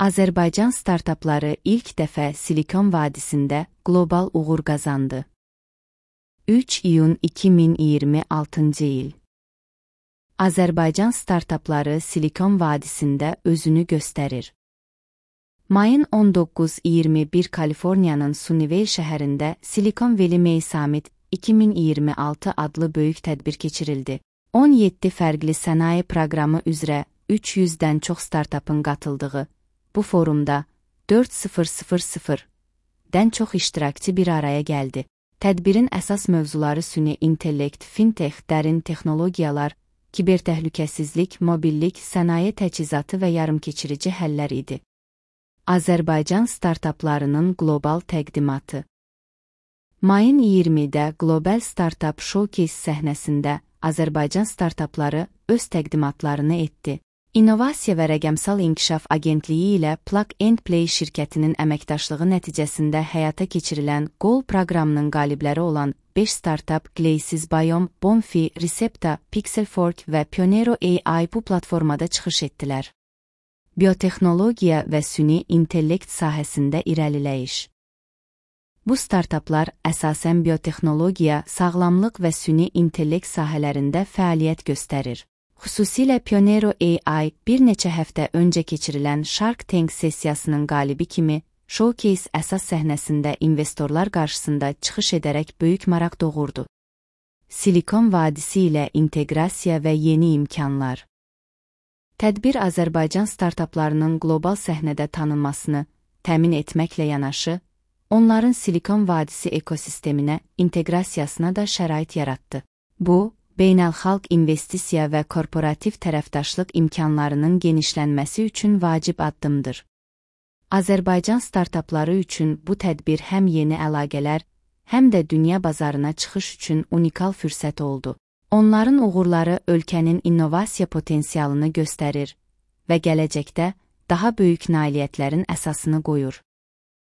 Azərbaycan startapları ilk dəfə Silikon vadisində qlobal uğur qazandı. 3 iyun 2026-cı il. Azərbaycan startapları Silikon vadisində özünü göstərir. Mayın 19-21 Kaliforniyanın Sunnyvale şəhərində Silicon Valley May Summit 2026 adlı böyük tədbir keçirildi. 17 fərqli sənaye proqramı üzrə 300-dən çox startapın qatıldığı bu forumda 4000-dən çox iştirakçı bir araya gəldi. Tədbirin əsas mövzuları süni intellekt, fintech, dərin texnologiyalar, kibertəhlükəsizlik, mobillik, sənaye təchizatı və yarımkeçirici həllər idi. Azərbaycan startaplarının qlobal təqdimatı. Mayın 20-də Global Startup Showcase səhnəsində Azərbaycan startapları öz təqdimatlarını etdi. İnnovasiya və Rəqəmsal İnkişaf Agentliyi ilə Plug and Play şirkətinin əməkdaşlığı nəticəsində həyata keçirilən Goal proqramının qalibləri olan 5 startup Glacis Biome, Bonfi, Recepta, Pixelfork və Pionero AI bu platformada çıxış etdilər. Biotexnologiya və süni intellekt sahəsində irəliləyiş. Bu startaplar əsasən biotexnologiya, sağlamlıq və süni intellekt sahələrində fəaliyyət göstərir. Xüsusilə Pionero AI bir neçə həftə öncə keçirilən Shark Tank sessiyasının qalibi kimi Showcase əsas səhnəsində investorlar qarşısında çıxış edərək böyük maraq doğurdu. Silikon vadisi ilə inteqrasiya və yeni imkanlar. Tədbir Azərbaycan startaplarının qlobal səhnədə tanınmasını təmin etməklə yanaşı, onların Silikon vadisi ekosisteminə inteqrasiyasına da şərait yaratdı. Bu, beynəlxalq investisiya və korporativ tərəfdaşlıq imkanlarının genişlənməsi üçün vacib addımdır. Azərbaycan startapları üçün bu tədbir həm yeni əlaqələr, həm də dünya bazarına çıxış üçün unikal fürsət oldu. Onların uğurları ölkənin innovasiya potensialını göstərir və gələcəkdə daha böyük nailiyyətlərin əsasını qoyur.